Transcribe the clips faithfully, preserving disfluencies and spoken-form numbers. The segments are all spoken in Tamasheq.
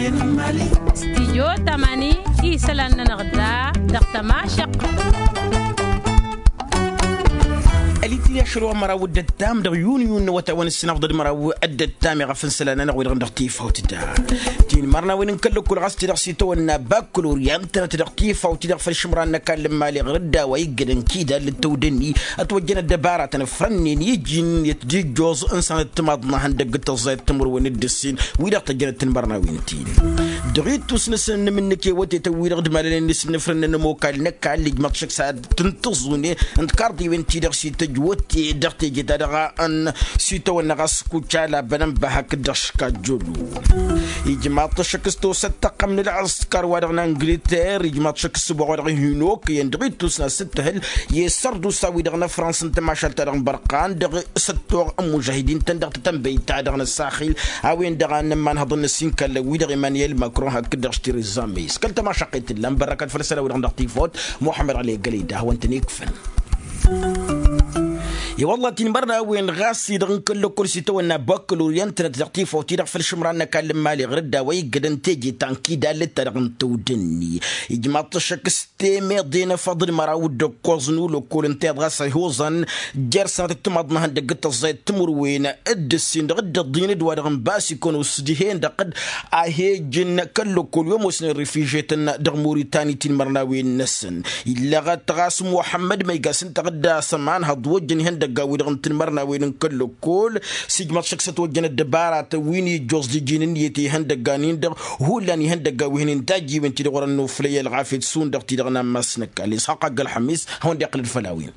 Stijyo tamani isălan-nănăɣ da dăɣ-tămašăqq. Ălitǝl i-ašăl wa măraw d-ăttam dăɣ-yuniyun n-awătay wa n-ǝssinafḍăd măraw d-ăttam iɣăf n-isălan-nănăɣ-wi-dăɣ dăɣ-tifawt da. Tinmărnawen n-kăl-ăkkol ɣas ti-dăɣ s-itawănna bakkalorya ǝntănăt dăɣ-tifawt-i-dăɣ făll-išǝmran n-ăkall n-imali ɣur-dd a-wa iggădăn kidal d-tăwdănni ătwăjjăn ăddăbaratăn ăfrănnen iji-net d-ijjoẓ n-sănăt timaḍ n-ehăndăgg d-tăẓẓayăt timǝrwen d-ǝssin wi-dăɣ tăjjănăt tinmărnawen-tin. Dăɣ-ittus n-asǝnnǝm n-inǝkewătetăn-wi-dăɣ d-imalănen n-asǝnnǝfrăn n-ămokal n-ăkall ijmăḍ šăkk s-ad-tǝntǝẓune n-tikarḍiwen-ti-dăɣ s-ităjj wătte dăɣ-teje-ta-dăɣ a ănn s-itawănna ɣas kucala bănănbăhăk dăɣ-škajjălu. Ijmaḍ-t ăššăk s-tosăt tăqqăm n-ălɣǝskar wa dăɣ-nangǝlter ijmaḍ-t ăššăk s-sǝboɣ wa dăɣ-ihinok iyyăn dăɣ-ittus n-asǝttăhǝl i-sărdusa-wi-dăɣ n-ăfrans n-tămašalt-ta-dăɣ n-bărqan dăɣ-săttoɣ n-mužahidin-tăn dăɣ-tătănbăyt-ta-dăɣ n-ăssaxil a-wen-dăɣ a n-ămmanhăḍăn n-ăssinkallăn wi-dăɣ emmanuel macron hakd-dăɣ s-tereza may s-kăl-tămašăqqet tǝllan bărrăkăt făll-isălan-wi-dăɣ dăɣ-tifawt muḥămmăd ɣali ăggălăy d-ahwăn-tăn-ikfăn. I-wălla tinmărnawen ɣas-i-dăɣ n-kăl-lăkkol s-itawănna bakkalorya ǝntănăt dăɣ-tifawt-i-dăɣ făll-išǝmran n-ăkall n-imali ɣur-dd a-wa iggădăn teje ta n-kidal d-ta-dăɣ n-tăwdănni ijmaḍ-t ăššăk s-temeḍe n-efăḍ d-măraw d-ǝkkoẓ n-ulăkkol ǝnta iḍ ɣas a ihuẓăn jer-sănatăt timaḍ n-ehăndăgg d-tăẓẓayăt timǝrwen d-ǝssin dăɣ-dd-ăḍḍin d-wa-dăɣ n-basikăn usdǝhen dăɣ-dd ahej n-kăl-lăkkol i-ămoosnen refižetăn dăɣ-muritani tinmărnawen-năsăn. Illăɣăt ɣas muḥămmăd ma iga s-ǝnta ɣǝdda s-ămanhăḍ wăjjăn ihăndăggan-wi-dăɣ n-tinmărnawen n-kăl-lăkkol s-ijmăḍ šăkk s-ătwăjjăn ăddăbaratăn wi n-ijjoẓ d-iji n-ǝnniyăt i-ihăndăggan-in-dăɣ hullan ihăndăggan wi hǝnen tajjiwen-ti-dăɣ wărăn noflăy ălɣafyăt šund dăɣ-ti-dăɣ n-ammas n-ăkall isxaq agg-ălxămis hawăn-dd-iqqǝlăd făll-a-wen.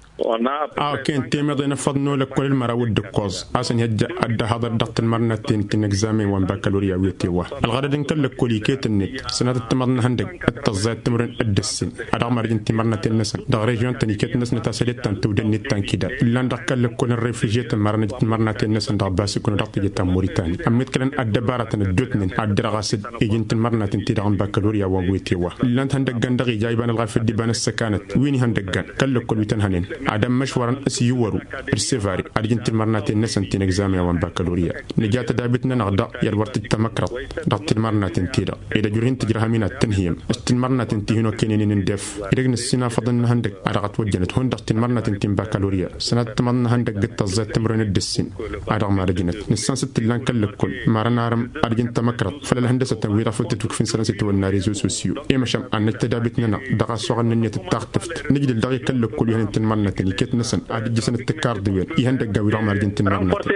A-wa ken temeḍe n-efăḍ n-olăkkol d-măraw d-ǝkkoẓ a-s ănhăjja ad-dd-ăhaḍăr dăɣ-tinmărnaten ti n-egzamen wa n-bakkalorya wi ătewa ălɣădăd n-kăl-lăkkol iket-net sănatăt timaḍ n-ehăndăgg d-tăẓẓayăt timǝrwen d-ǝssin a dăɣ-marǝj n-timărnaten-năsăn dăɣ-režion-tăn iket-năsnăt a-s ăllet ta n-tewdănnet ta n-kidal ǝllan dăɣ-kăl-lăkkol n-refižetăn marăn ǝjǝt timărnaten-năsăn dăɣ-basikun dăɣ-teje ta n-muritani ămmiḍkălăn ăddăbaratăn ăddootnen ad-dăr-ɣas-dd iji n-tinmărnaten ti-dăɣ n-bakkalorya wa n-wetewwa ǝllan-t ihăndăggan dăɣ-ija iba n-ălɣafyăt d-iba n-ăssăkanăt wi n-ihăndăggan kăl-lăkkol wi tăn-hănen ad-ămmăšwărăn s-iwwăru d-sevare ad-ǝjǝn tinmărnaten-năsăn ti n-egzamen wa n-bakkalorya. Nǝja tădabit-nănăɣ daɣ i-ad-wăr tǝjj tamăkrăḍt dăɣ-tinmărnaten-ti-dăɣ ed ăjrǝh-in tǝjrăhăm-in ad-tǝnhǝyăm s-tinmărnaten ti hin-okăynen-in n-def. Idăgg n-ǝssin afăḍăn n-ihăndăg a dăɣ-ătwăjjănăt hundăɣ tinmărnaten ti n-bakkalorya sănatăt timăḍ n-ihăndăg d-tăẓẓayăt timǝrwen d-ǝssin a dăɣ-marǝjnăt nǝssan s-t-ǝllan kăl-lăkkol marăn arǝm ad-ǝjǝn tamăkrăḍt făll-ălhăndăsătăn-wi-dăɣ făl tǝtwǝkf n-isălan s-itwănna rezo sosyo i-măšan ad-năj tădabit-nănăɣ dăɣ-asuɣǝl n-ǝnniyăt d-taɣtǝft nǝjdǝl dăɣ-i kăl-lăkkol wi hănen tinmărnaten iket-năsăn ad-ǝjjǝsăn d-tikarḍiwen ihăndăgga-wi-dăɣ marǝjăn tinmărnaten.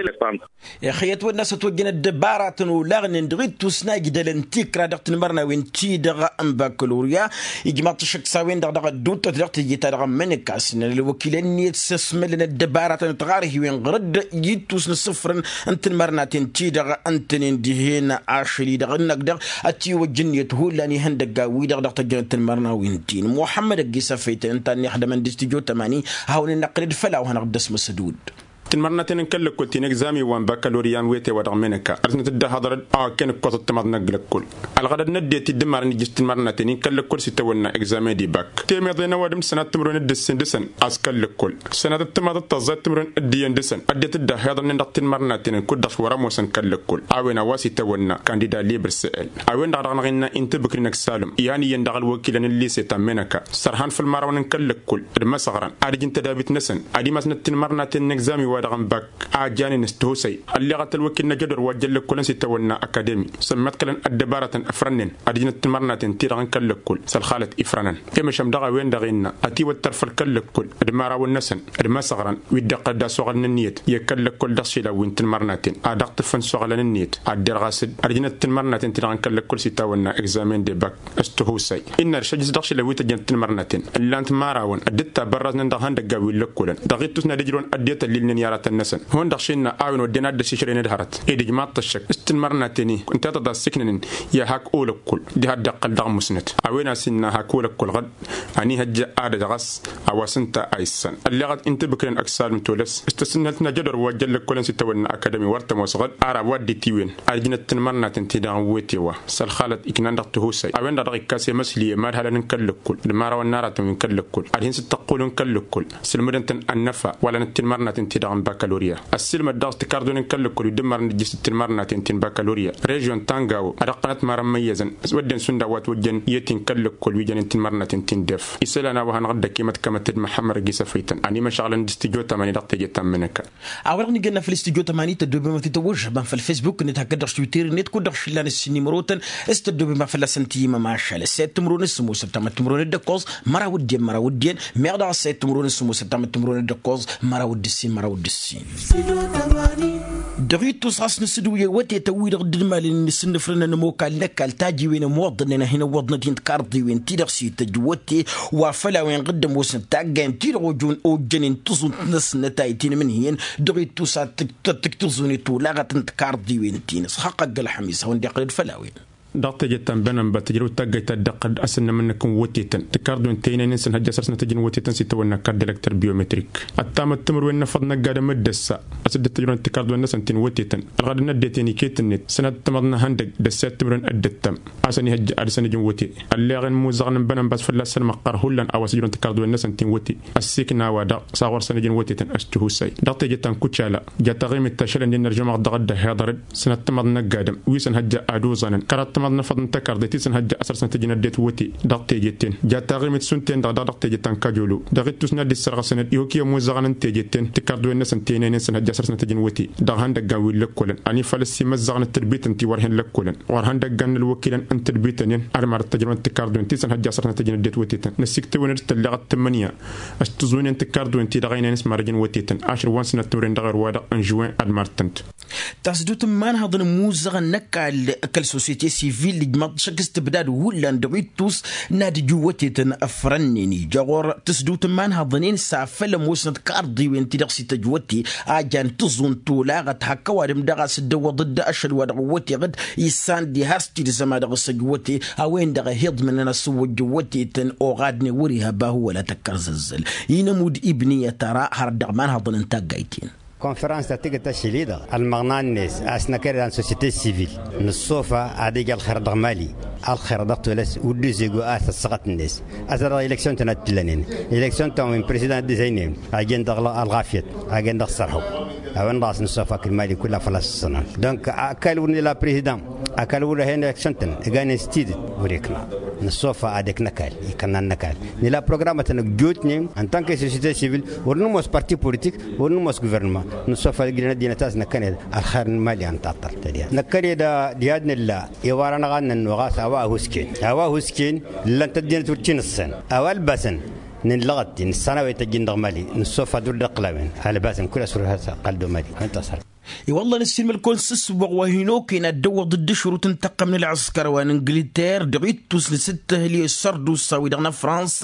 Ixăyăt wănna s-ătwăjjăn ăddăbaratăn olaɣnen dăɣ-ittus n-ajdălăn tikra dăɣ-tinmărnawen-ti-dăɣ n-bakkalorya ijmaḍ-t ăššăk s-a-wen-dăɣ dăɣ-ădduuttăt dăɣ-teje-ta-dăɣ ămmănăkasnen ălwăkilăn-net s-ăsmălăn ăddăbaratăn ătɣarhiwen ɣur-dd i-ittus n-isǝfrăn n-tinmărnaten-ti-dăɣ ǝntănen dihen ašăl-i-dăɣ ǝnnăk dăɣ-ătiwăjj ǝnniyăt hullan ihăndăgga-wi-dăɣ dăɣ-tăjjănăt tinmărnawen-tin muḥămmăd ăgg-i s-efăytăn ǝnta a ănniɣ hădămăn d-istijjo tămani ad-hawăn-in-năqqǝlăd făll-a-wa hanăɣ-dd-ăsmăsăd udd. Tinmărnaten n-kăl-lăkkol ti n-egzamen wa n-bakkaloriya n-wete wa dăɣ-menăka ărsnăt-dd ahăḍăr-dd a-wa ken ǝkkoẓăt timaḍ n-ăgg-lăkkol ălɣădăd n-ăddinăt i-dd-ǝmmarăn ijjǝs tinmărnaten-in kăl-lăkkol s-itawănna egzamen d-ibak temeḍe n-ăwadǝm sănat timǝrwen d-ǝssin dăɣ-săn a-s kăl-lăkkol sănatăt timaḍăt tăẓẓayăt timǝrwen d-iyyăn dăɣ-săn ăddinăt-dd ăhhiḍănnen dăɣ-tinmărnaten kud-dăɣ s-wăr-ămoosăn kăl-lăkkol a-wen a-wa s-itawănna kandida liber s-el a-wen-dăɣ dăɣ-năɣ innă inta bǝkri n-ăksalăm i-han iyyăn dăɣ-ălwăkilăn n-lise ta n-menăka sărhan făll-imărawăn n-kăl-lăkkol d-imăsăɣrăn ad-ǝjǝn tădabit-năsăn ad-imasnăt tinmărnaten n-egzami wa dăɣ-n bak a janen s-tihusăy ălleɣăt ălwăkil n-ajădor wa jăllăkkolăn s-itawănna akademi sămmăḍkălăn ăddăbarătăn ăfrănnen ad-ǝjnăt timărnaten-ti-dăɣ n-kăl-lăkkol s-ălxalăt ifrănăn i-măšăm daɣ a-wen-dăɣ innă ătiwăttăr făll-kăl-lăkkol d-imărawăn-năsăn d-imăsăɣrăn wi dd-iqqăl d-asuɣăl n-ǝnniyăt i-kăl-lăkkol dăɣ-išilan wi n-timărnaten ad-dăɣ-tǝffăn suɣǝlăn ǝnniyăt ad-derɣas-dd ad-ǝjnăt timărnaten-ti-dăɣ n-kăl-lăkkol s-itawănna egzamen d-ebak s-tihusăy innă ăršăjjǝs dăɣ-išilan wi tăjjănăt timărnaten ǝllan-t imărawăn dd-tabărraznăn dăɣ-ihăndăggan wi n-lăkkolăn dăɣ-ittus n-ad-ijrăwăn ăddinăt ăllilnen i-aratăn-năsăn hundăɣ šinna a-wen wădden ad-dd-ăsišrăyăn d-hărăt ed ijmaḍ-t ăššăk s-tinmărnaten-i ǝnta a tăt-ad-siknănen i-ad-hak olăkkol diha dd-iqqăl dăɣ-musnăt a-wen a-s innă hak olăkkol ɣǝd ănihăjja ad-ădɣăs a-wa s-ǝnta a issăn ălleɣăt intǝbǝkrăn ăksalǝm tolăs s-tăsǝnnălt n-ajădor wa jăllăkkolăn s-itawănna akadămi wăr tămoos ɣǝd ara wa dd-itiwen ad-ǝjnăt tinmărnaten-ti-dăɣ n-wetewa s-ălxalăt iknan dăɣ-tihusăy a-wen-dăɣ dăɣ-ikkas i-măsli i-mad-halăn n-kăl-lăkkol d-imărawăn n-aratăn wi n-kăl-lăkkol ad-hin-sǝttăqqul n-kăl-lăkkol sǝlmǝdăn-tăn ănnăfa wăla n-tinmărnaten-ti-dăɣ Bakaloriya ăssiilmăd dăɣ-s tikarḍunen kăl-lăkkol wi dd-ǝmmărăn d-ǝjjǝs d-tinmărnaten ti n-bakaloriya režion tangawo ad-ăqqănăt marăn imăyyăzăn. S-wădden šund a-wa t-wăjjăn i-tinka ăllăkkol wi jănen tinmărnaten ti n-def isălan a-wa hanăɣ-dd-ăkimăt kămăt-dd măḥămmăr agi s-ăfăytăn ănimăšăɣlăn d-studyo tămani dăɣ-teje ta n-imǝnǝka. A-wa-dăɣ nǝjănna făll-studyo tămani tăddoobem ad-t-tăwwăžžăbăn făll-facebook-net hakd dăɣ-twitter-net kud-dăɣ šillan ǝssin imărotăn. S-tăddoobem a fălla-săn tǝyyǝmăm ašăl ăssayăt timǝrwen s-sămoosăt tamăt timǝrwen d-ǝkkoẓ măraw d-iyyăn măraw d-iyyăn. Meɣ daɣ ăssayăt timǝrwen s-sămoosăt tamăt timǝrwen d-ǝkkoẓ măraw d-ǝssin măraw d-ǝssin. Dăɣ-ittus ɣas nǝsǝdǝw i-awătetăn-wi-dăɣ dd-malăn inǝsǝnnǝfrăn ănămokal n-ăkall tajiwen ămoḍănen ad-hin-ăwwăḍnăt-in tikarḍiwen-ti-dăɣ s-ităjj wăte wa făll-a-wen ɣǝddăm osnăt taggayen-ti-dăɣ ojjănen tǝẓunt-năsnăt a itinǝmǝnhǝyăn. Dăɣ-ittus ad-tǝk-tǝẓunet olaɣăt n-tikarḍiwen-ti-năs xaqq-ăgg-ălxămis a-wen-dd-iqqălăd făll-a-wen. Dăɣ-teje ta n-bănănba tǝjrăw taggayt ta dd-iqqălăd asǝnnăm-năk n-wătetăn tikarḍiwen tăynăynen s-ănhăjja săr-snăt ăjǝn wătetăn s-itawănna kart d-elăkter biometrik. Ăttamăt timǝrwen n-efăḍ n-ăgg-adǝm d-ăssa a-s dd-tăjrăwăn tikarḍiwen-năsăn ti n-wătetăn ălɣădăn n-ăddinăt i-kăy-tǝnnet sănat timăḍna ihăndăgg d-ăssayăt timǝrwen d-ǝttăm. A-s ănihăjja ad-dăr-săn ǝjǝn wăte ălleɣen imuzăɣăn n-bănănba a-s fălla-săn măqqar hullan a-wa s-ǝjrăwăn tikarḍiwen-năsăn ti n-wăte. Ăssiikna-wa-dăɣ s-a ɣur-săn ǝjǝn wătetăn s-tihusay dăɣ-teje ta n-kucala. Ja taɣimit ta šălăn d-inărjăm-aɣ dăɣ-dd-ăhhiḍărăd sănat timăḍna n-ăgg-adǝm wi s-ănhăjja ad-uẓanăn kăraḍ timăḍna n-efăḍ n-tăkarḍe ti s-ănhăjja asăr-snăt ǝjǝn ăddinăt wăte. Dăɣ-teje-ten ja taɣimit šund-ten-dăɣ daɣ dăɣ-teje ta n-kajolo. Dăɣ-ittus n-ad-dd-issărɣăsăn-dd ihuk i-ămuẓăɣăn n-teje-ten tikarḍiwen-năsăn tăynăynen s-ănhăjja asăr-snăt ǝjǝn wăte. Dăɣ-ihăndăggan wi n-lăkkolăn ănifal ăsimăzzăɣnăt tǝdbităn ti wăr hin-lăkkolăn ɣur-ihăndăggan n-ălwăkilăn n-tǝdbităn-en ad-marăt tăjrăwăn tikarḍiwen ti s-ănhăjja asăr-snăt ǝjǝn ăddinăt wătetăn năsiktăwăn-dd tălleɣăt tǝmmǝnǝya. S-tǝẓunen tikarḍiwen ti dăɣ-ăynăyăn s-marăjăn wătetăn ašăl wa n-sănăt timǝrwen dăɣ-erwa-dăɣ n-žuwen ad-marăt-tǝnt. Tasdut n-imanhăḍăn n-imuzăɣăn n-ăkall kăl-sosyete sivil ijmaḍ šăkk s-tǝbdad hullan dăɣ-ittus n-ad-ǝju wătetăn ăfrănnen ija ɣur-tasdut n-imanhăḍăn-en s-afăl ămoosnăt karḍiwen ti-dăɣ s-ităjj wăte. A jan tǝẓunt olaɣăt hak ăwadǝm daɣ a-s dd-ăwwăḍ-dd ašăl wa dăɣ-wăteɣ-dd issan diha s-tidǝzăm a dăɣ-s ăjj wăte. A-wen-dăɣ ăhiḍmǝnăn asǝwwăjjăn wătetăn oɣadnen wăr-iha bahu wăla tăkkărzăzzăl. Inămud ibniyăt ara hărăt dăɣ-imanhăḍăn n-taggayt-in. Konfărans ta tǝggǝt ašăl-i-dăɣ ălmăɣna-net a-s năkăre da n-sosyete sivil nǝṣṣofa ad-ija ălxer dăɣ-mali. Ălxer dăɣ-tolăs wăr dd-ozego a-s ăṣṣăɣăt-net. Ăza dăɣ-eleksyon-tăn a t-ǝllănen eleksyon-tăn wi n-president d-izăynen a jen dăɣ-ălɣafyăt a jen dăɣ-sărhăw. A-wen-dăɣ a-s nǝṣṣofa akǝl mali kull afăl a-s ǝṣṣănăn. Dănk ăkall wăr nǝla president ăkall wăr ăhen eleksyon-tăn ǝganen s-tidǝt. Wăr-ikna nǝṣṣofa ad-ikna ăkall ikănna n-ăkall. Nǝla programătăn ăjjootnen ăntank i-sosyete sivil wăr nǝmoos parti politik wăr nǝmoos guvernăma. Nǝṣṣofa ad-ǝjrǝn ăddinăt a-s năkkăned ălxer n-mali a nǝtaṭṭăl tădya năkkăned. Diha d-nǝlla i-wăr-anăɣ ad-nănnuɣ a-s a-wa ăhuusken a-wa ăhuusken. Ǝllan-t ăddinăt wăr t-inǝssăn a-wa ălbasăn. Nǝllăɣăt-in ǝssan a-wa ităjjăn dăɣ-mali nǝṣṣofa ad-wăr dd-ăqqǝlawen ălbasăn kul-aswăr has-ăqqal d-omali. I-wălla nǝssin mălkon s-ǝssǝwwăɣ wa hin-okăyăn ad-dd-ăwwăḍ dd-ašrut n-taqqăm n-ălɣǝskăr wa n-ingǝlter dăɣ-ittus nǝsǝttǝhǝl i-ăssărdusa-wi-dăɣ n-afrans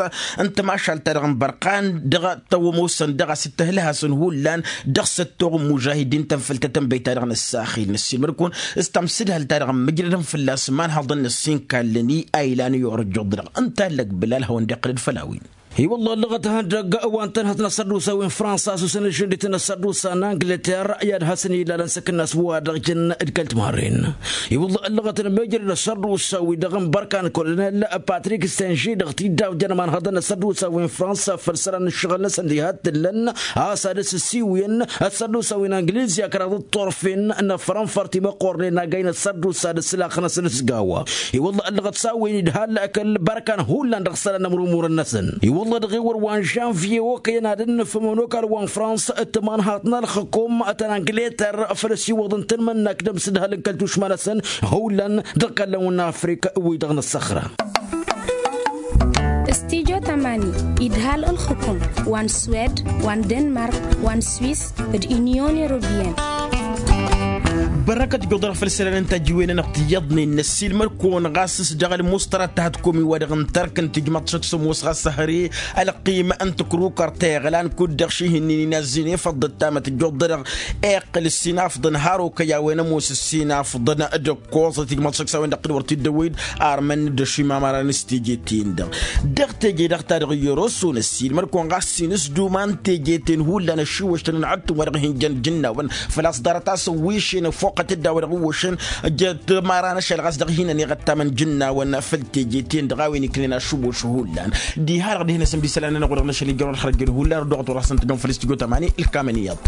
n-tamašalt-ta-dăɣ n-bărqan dăɣ-tăwămosăn dăɣ-a-s ǝttǝhǝl-hasăn hullan. Dăɣ-săttoɣ n-mužahidin-tăn făll-tătănbăy-ta-dăɣ n-ǝssaxil năssin mălkon s-tamsǝdhăl-ta-dăɣ n-mǝjrădăn fălla-s imanhăḍăn n-ăssinkallăn i-a ilan i-orăjjuḍ-dăɣ ǝnta allăg bǝlal hawăn-dd-iqqǝlăd făll-a-wen. I-wălla ăllăɣăt ihăndăgg wa n-tănhăt n-asărdusa wi n-fransa a-s osăn ǝžžǝndit n-asărdusa n-angleter i-ad-hasăn-illalăn s-akǝnnas wa dăɣ-jăn d-kăl-timărren. I-wălla ăllăɣăt n-mejrăd asărdusa-wi-dăɣ n-bărkan kolonel patrik stenži dăɣ-tidawjăn ămanhăḍăn n-asărdusa wi n-fransa făll-isălan n-ǝššăɣǝl-năsăn diha t-tǝllăn a-s ad-ăsǝsiwǝyăn asărdusa wi n-angǝliz i-akraḍ d-turfen n-afrănfăr timăqqornen agay n-asărdusa d-ǝslax-năsăn s-gawa. I-wălla ăllăɣăt s-a-wen idhal kăl-bărkan hullan dăɣ-isălan n-amrumurăn-năsăn. I-wălla dăɣ-ewăr wa n-žănvye okăyăn ad-ǝnnǝfăm ănokal wa n-frans d-timanhaḍt n-ălxǝkum ta n-angleter făll-ăsiwăḍ n-tanmănnakt d-amsǝdhăl n-kăl-tušma-năsăn. Hullan dăɣ-ikallăn-wăn n-afrik wi-dăɣ n-ăssăxra. Studyo tamani idhal ălxǝkum wa n-swed wa n-denmark wa n-swis d-inyon europeyăn. Bărăkăt juḍăr făll-isălan n-tajǝwen-anăɣ tiyyăḍnen n-ăssiilmăd-kăwăn ɣas s-dăɣ-ălmustra ta hătkumi wa dăɣ-n tărk n-tijmăḍ šăkk s-ămoos ɣas ăhrǝy ălqim n-tǝkrukăr ta iɣlan kud-dăɣ šihǝnnin inazzin efăḍ d-ăttamăt ǝjjuḍ-dăɣ. Iqqǝl ǝssin afḍăn har okăy a-wen ămoos ǝssin afḍăn d-ǝkkoẓăt ijmăḍ šăkk s-a-wen-dăɣ t-wăr t-dd-ăwwăy-dd armăn d-ašimamăra n-s teje-ten-dăɣ. Dăɣ-teje-dăɣ ta dăɣ-iyyăr oso n-ăssiilmăd-kăwăn ɣas s-inǝsduma n-teje-ten hullan ăššiwăš-tăn n-ad-tǝmwa dăɣ-hin-jăn jǝnnawăn făl-a-s ḍarăt-asăn wi šenăn foqqăt dd-a-wa dăɣ-iwwăšăn. Jăt-mara n-ašăl ɣas dăɣ-hin-ăniɣăttamăn jǝnnawăn făll-teje-ten-dăɣ a-wen iknen ašǝwwăš hullan. Diha-dăɣ dihen-asăn d-isălan-nănăɣ wa dăɣ-năšăl ijjărăn har ăjjăn hullan ăddoɣăt wăr hasăn-tăjjăn făll-studyo tamani ǝlkamăn iyyăḍ.